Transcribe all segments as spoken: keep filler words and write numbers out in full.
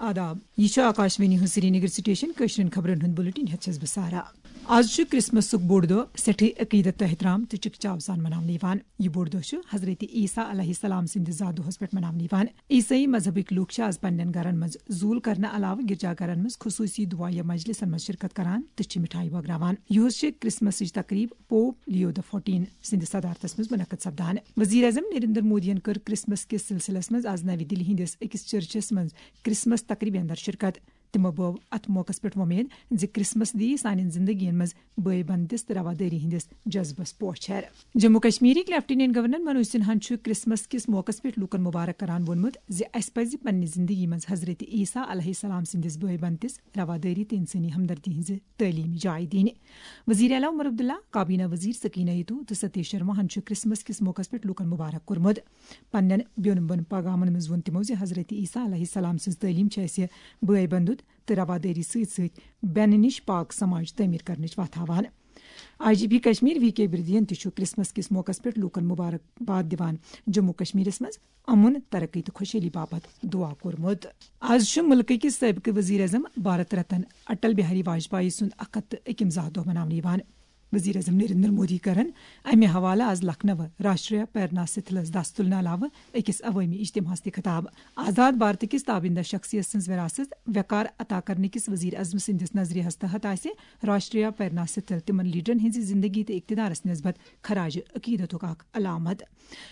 آداب، یہِ چھُ آکاشوانی ہُنٛد سرینگر سٹیشن۔ کٲشرٮ۪ن خبرن ہُنٛد بُلٹن ہٮ۪تھ چھَس بہٕ سارا۔ آز چھُ کرسمسُک بوٚڑ دۄہ سٮ۪ٹھٕے عقیدت تہٕ احترام تہٕ چکہ چاو سان مناونہٕ یِوان۔ یہِ بوٚڑ دۄہ چھُ حضرت عیسیٰ علیہ السلام سٕنٛدِس زا دۄہس پٮ۪ٹھ مناونہٕ یِوان۔ عیسٲئی مذہبٕکۍ لوٗکھ چھِ آز پننٮ۪ن گرن منٛز زوٗل کرنہٕ علاوٕ گرجا گرن منٛز خصوٗصی دُعایہ مجلسن منٛز شرکت کران تہٕ چھِ مِٹھایہِ بٲگراوان۔ یِہُس چھِ کرسمسٕچ تقریب پوپ لیو the fourteen سٕنٛدِس صدارتس منٛز منعقد سپدان۔ وزیر اعظم نریندر مودیَن کٔر کرسمس کِس سلسلس منٛز آز نَوِ دِلہِ ہٕنٛدِس أکِس چرچس منٛز کرسمس تقریبہِ اندر شرکت۔ تِمو بٲو اتھ موقعس پٮ۪ٹھ وۄمید زِ کرسمس دِیہِ سانٮ۪ن زندگین منٛز بٲے بندِس تہٕ روادٲری ہٕنٛدِس جذبس پوچھر۔ جموں کشمیرٕکۍ لیفٹیننٹ گورنر منوج سنہاہن چھُ کرسمس کِس موقعس پٮ۪ٹھ لوٗکن مبارک کران ووٚنمُت زِ اسہِ پزِ پننہِ زندگی منٛز حضرت عیسیٰ علیہ السلام سٕنٛدِس بٲے بندِس، روادٲری تہٕ انسٲنی ہمدردی ہٕنٛزِ تعلیمی جاے دِنۍ۔ وزیر اعلیٰ عمر عبداللہ، کابینہ وزیر سکینہ ایتو تہٕ ستیش شرماہن چھُ کرسمس کِس موقعس پٮ۪ٹھ لوٗکن مبارک کوٚرمُت۔ پننٮ۪ن بیوٚن بوٚن پیغامن منٛز ووٚن تِمو زِ حضرت عیسیٰ علیہ السلام سٕنٛز تعلیٖم چھِ اَسہِ بٲے بندُت تہٕ روادٲری سۭتۍ سۭتۍ بٮ۪نہٕ نِش پاک سماج تعمیٖر کرنٕچ وَتھ ہاوان۔ I G P Kashmir V K بردین تہِ چھُ کرسمس کِس موقعس پٮ۪ٹھ لوٗکن مبارک باد دِوان جموں کشمیرس منٛز امن، ترقی تہٕ خۄشحٲلی باپتھ دعا کوٚرمُت۔ آز چھُ مُلکٕکۍ سٲبقہٕ وزیر اعظم بھارت رتن اٹل بہاری واجپایی سُنٛد اکھ ہتھ تہٕ أکِم زاہ دۄہ مناونہٕ یِوان۔ وزیر اعظم نریندر مودی کرن امہِ حوالہٕ آز لکھنؤ راشٹریہ پریرنا ستھلس دس تُلنہٕ علاوٕ أکِس عوٲمی اجتماعس تہِ خطاب۔ آزاد بھارت کِس تابندہ شخصیت سٕنٛز وراثت وقار عطا کرنہٕ کِس وزیر اعظم سٕنٛدِس نظریہس تحت آسہِ راشٹریہ پریرنا ستھل تِمن لیڈرن ہٕنٛزِ زندگی تہٕ اقتدارس نسبت خراج عقیدتُک اکھ علامت۔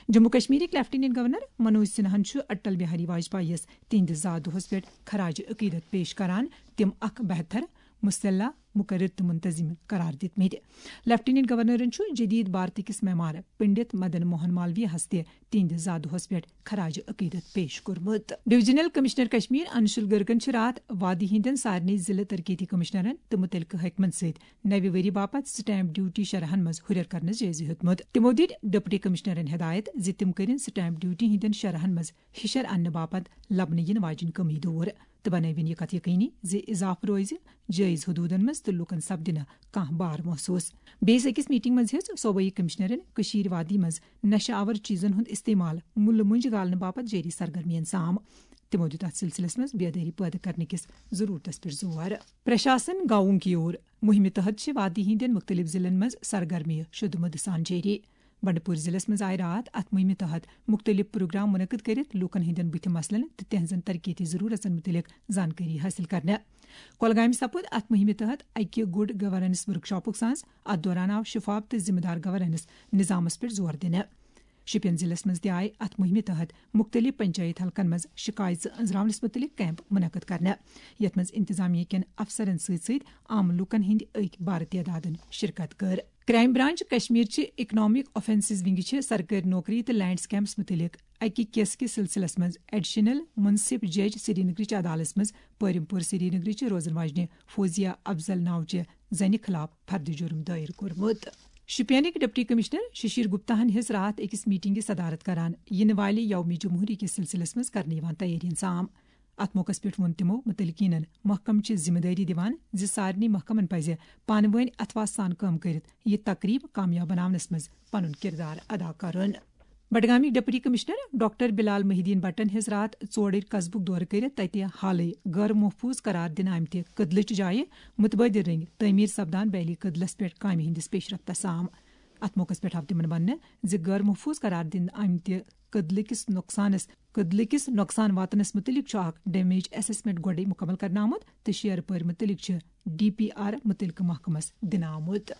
جموں کشمیرٕکۍ لیفٹیننٹ گورنر منوج سنہاہن چھُ اٹل بہاری واجپایی یَس تِہنٛدِس زا دۄہس پٮ۪ٹھ خراج عقیدت پیش کران تِم اکھ بہتر، مسلح، مقرر تہٕ منتظم قرار دِتمٕتۍ۔ لیفٹیننٹ گورنرن چھُ جدید بھارت کِس معمار پنڈت مدن موہن مالویہ ہس تہِ تِہنٛدِس زا دۄہس پٮ۪ٹھ خراج عقیدت پیش کوٚرمُت۔ ڈویژنل کمشنر کشمیر انشول گرگن چھِ راتھ وادی ہٕنٛدٮ۪ن سارنٕے ضلع ترقیتی کمشنرن تہٕ مُتعلقہٕ حٲکمن سۭتۍ نوِ ؤری باپتھ سٹیمپ ڈیوٹی شرحن منٛز ہُرٮ۪ر کرنس جٲیزٕ ہیوٚتمُت۔ تِمو دِتۍ ڈپٹی کمشنرن ہدایت زِ تِم کٔرِن سٹیمپ ڈیوٹی ہٕنٛدٮ۪ن شرحن منٛز ہِشر اننہٕ باپتھ لبنہٕ یِنہٕ واجیٚنۍ کٔمی دوٗر تہٕ بنٲوِن یہِ کتھ یقینی زِ اضافہٕ روزِ جٲیز حدوٗدن منٛز تہٕ لوٗکن سپدِ نہٕ کانٛہہ بار محسوس۔ بیٚیِس أکِس میٹنگ منٛز ہیٚژ صوبٲئی کمشنرن کٔشیٖر وادی منٛز نشہٕ آور چیزن ہُنٛد استعمال مُلہٕ مۄنٛجہِ گالنہٕ باپتھ جٲری سرگرمین سام۔ تِمو دیُت اتھ سلسلس منٛز بیدٲری پٲدٕ کرنہٕ کِس ضروٗرتس پٮ۪ٹھ زور۔ پرشاسن گاؤں کی اور مُہِمہِ تحت چھِ وادی ہٕنٛدٮ۪ن مُختٔلِف ضلعن منٛز سرگرمیہِ شدومد سان جٲری۔ بنڈپور ضلعس منٛز آیہِ راتھ اتھ مُہِمہِ تحت مُختٔلِف پروگرام منعقد کٔرِتھ لوٗکن ہٕنٛدٮ۪ن بُتھِ مسلن تہٕ تِہنٛزن ترقیتی ضروٗرتن مُتعلق زانکٲری حٲصِل کرنہٕ۔ کۄلگامہِ سپُد اتھ مُہِمہِ تحت اکہِ گُڈ گورننس ورکشاپُک سانز۔ اتھ دوران آو شفاف تہٕ ذمہٕ دار گورننس نظامس پٮ۪ٹھ زور دِنہٕ۔ شُپین ضلعس منٛز تہِ آیہِ اتھ مُہِمہِ تحت مُختٔلِف پنچایت حلقن منٛز شِکایژٕ أنٛزراونس مُتعلق کیمپ منعقد کرنہٕ، یتھ منٛز انتظامیہ کٮ۪ن افسرن سۭتۍ سۭتۍ عام لوٗکن ہٕنٛدۍ أکۍ بارٕ تعدادن شرکت کٔر۔ کرائم برانچ کشمیر چہِ اکنامک آفینسز ونگہِ چھِ سرکٲرۍ نوکری تہٕ لینڈ سکیمس مُتعلق اکہِ کیس کِس سلسلس منٛز ایڈیشنل منصف جج سرینگرٕچ عدالتس منٛز پٲرِم پوٗر سرینگرٕچ روزن واجنہِ فوزیہ افضل ناوچہِ زنہِ خلاف فرد جرم دٲیر کوٚرمُت۔ شُپینٕکۍ ڈپٹی کمشنر ششیر گپتا ہن ہیٚژ راتھ أکِس میٹنگہِ صدارت کران یِنہٕ والہِ یوم جمہوری کِس سلسلس منٛز کرنہٕ یِوان تیٲرین سام۔ اتھ موقعس پٮ۪ٹھ ووٚن تِمو مُتعلقیٖنَن محکمہٕ چہِ ذمہٕ دٲری دِوان زِ سارنٕے محکمَن پَزِ پانہٕ وٲنۍ اتھواہ سان کٲم کٔرِتھ یہِ تقریب کامیاب بناونَس منٛز پنُن کردار ادا کرُن۔ بڈگامٕکۍ ڈپٹی کمشنر ڈاکٹر بلال محی الدین بٹن ہیٚژ راتھ ژوڑٕرۍ قصبُک دورٕ کٔرِتھ تَتہِ حالٕے غٲر محفوظ قرار دِنہٕ آمتہِ کٔدلٕچ جایہِ متبادل رٔنگۍ تعمیٖر سپدان بیلی کٔدلس پٮ۪ٹھ کامہِ ہٕنٛدِس پیش رفتس سام۔ اتھ موقعس پٮ۪ٹھ آو تِمن وننہٕ زِ غٲر محفوظ قرار دِنہٕ آمتہِ کٔدلہٕ کِس نۄقصانس کٔدلہٕ کِس نۄقصان واتنس مُتعلق چھُ اکھ ڈیمیج اسسمنٹ گۄڈَے مُکمل کرنہٕ آمُت تہٕ شیرٕ پٲرۍ مُتعلق چھُ ڈی پی آر مُتعلقہٕ محکمس دِنہٕ آمُت۔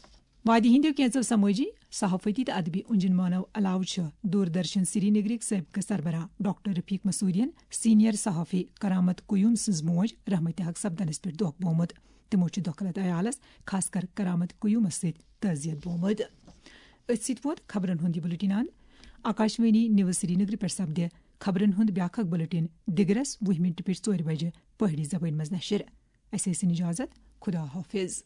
وادی ہٕنٛدیو کینٛژو سمٲجی، صحافتی تہٕ ادبی اُنجن مانو علاوٕ چھُ دوردرشن سرینگرٕکۍ سٲبقہٕ سربراہ ڈاکٹر رفیق مسعودین سینئر صحافی کرامت قیوم سٕنٛز موج رحمتِ حق سپدنس پٮ۪ٹھ دۄکھ بومُت۔ تِمو چھُ دۄکھلت عیالس، خاص کر کرامت قیومس سۭتۍ تعزیت بومُت۔ أتھۍ سۭتۍ ووت خبرن ہُنٛد یہِ بُلٹن اند۔ آکاشوانی نیوز سرینگرٕ پٮ۪ٹھ سپدِ خبرن ہُنٛد بیٛاکھ اکھ بُلٹن دِگرس وُہہِ مِنٹہِ پٮ۪ٹھ ژورِ بجہِ پہٲڑی زبٲنۍ منٛز نشر۔ اسہِ ٲسِن اجازت۔ خدا حافظ۔